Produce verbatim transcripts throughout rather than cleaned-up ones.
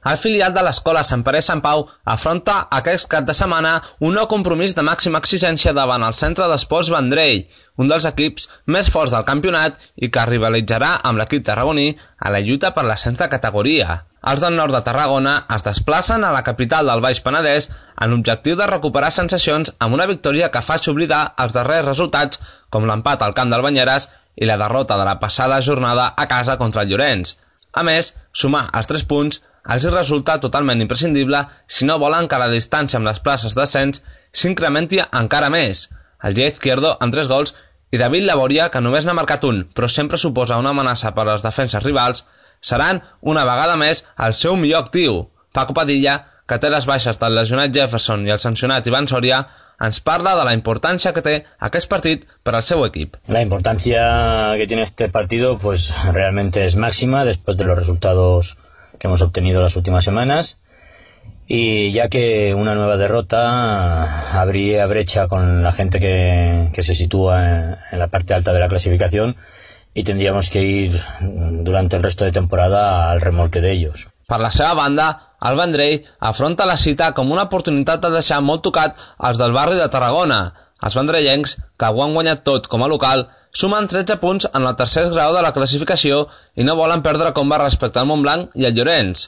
El filial de l'escola Sant Pere i Sant Pau afronta aquest cap de setmana un nou compromís de màxima exigència davant el Centre d'Esports Vendrell, un dels equips més forts del campionat i que rivalitzarà amb l'equip tarragoní a la lluita per l'ascens de categoria. Els del nord de Tarragona es desplacen a la capital del Baix Penedès en l'objectiu de recuperar sensacions amb una victòria que faci oblidar els darrers resultats com l'empat al camp del Banyeres i la derrota de la passada jornada a casa contra el Llorenç. A més, sumar els tres punts els resulta totalment imprescindible si no volen que la distància amb les places d'ascens s'incrementi encara més. El Gia Izquierdo amb tres gols i David Laboria, que només n'ha marcat un, però sempre suposa una amenaça per a les defenses rivals, seran una vegada més el seu millor actiu. Paco Padilla, que té les baixes del lesionat Jefferson i el sancionat Iván Soria, ens parla de la importància que té aquest partit per al seu equip. La importancia que tiene este partido pues realmente es máxima después de los resultados que hemos obtenido las últimas semanas, y ya que una nueva derrota habría brecha con la gente que, que se sitúa en, en la parte alta de la clasificación y tendríamos que ir durante el resto de temporada al remolque de ellos. Per la seva banda, el Vendrell afronta la cita com una oportunitat de deixar molt tocat els del barri de Tarragona. Els vendrellencs, que ho han guanyat tot com a local, sumen tretze punts en el tercer grau de la classificació i no volen perdre comba respecte al Montblanc i al Llorenç.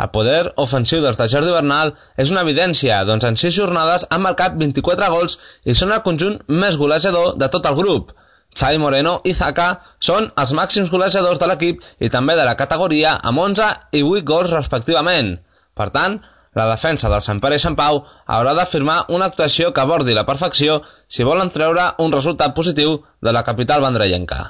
El poder ofensiu dels de Jordi Bernal és una evidència, doncs en sis jornades han marcat vint-i-quatre gols i són el conjunt més golejador de tot el grup. Xavi Moreno i Zaka són els màxims golejadors de l'equip i també de la categoria amb onze i vuit gols respectivament. Per tant, la defensa del Sant Pere i Sant Pau haurà de firmar una actuació que abordi la perfecció si volen treure un resultat positiu de la capital vendrellenca.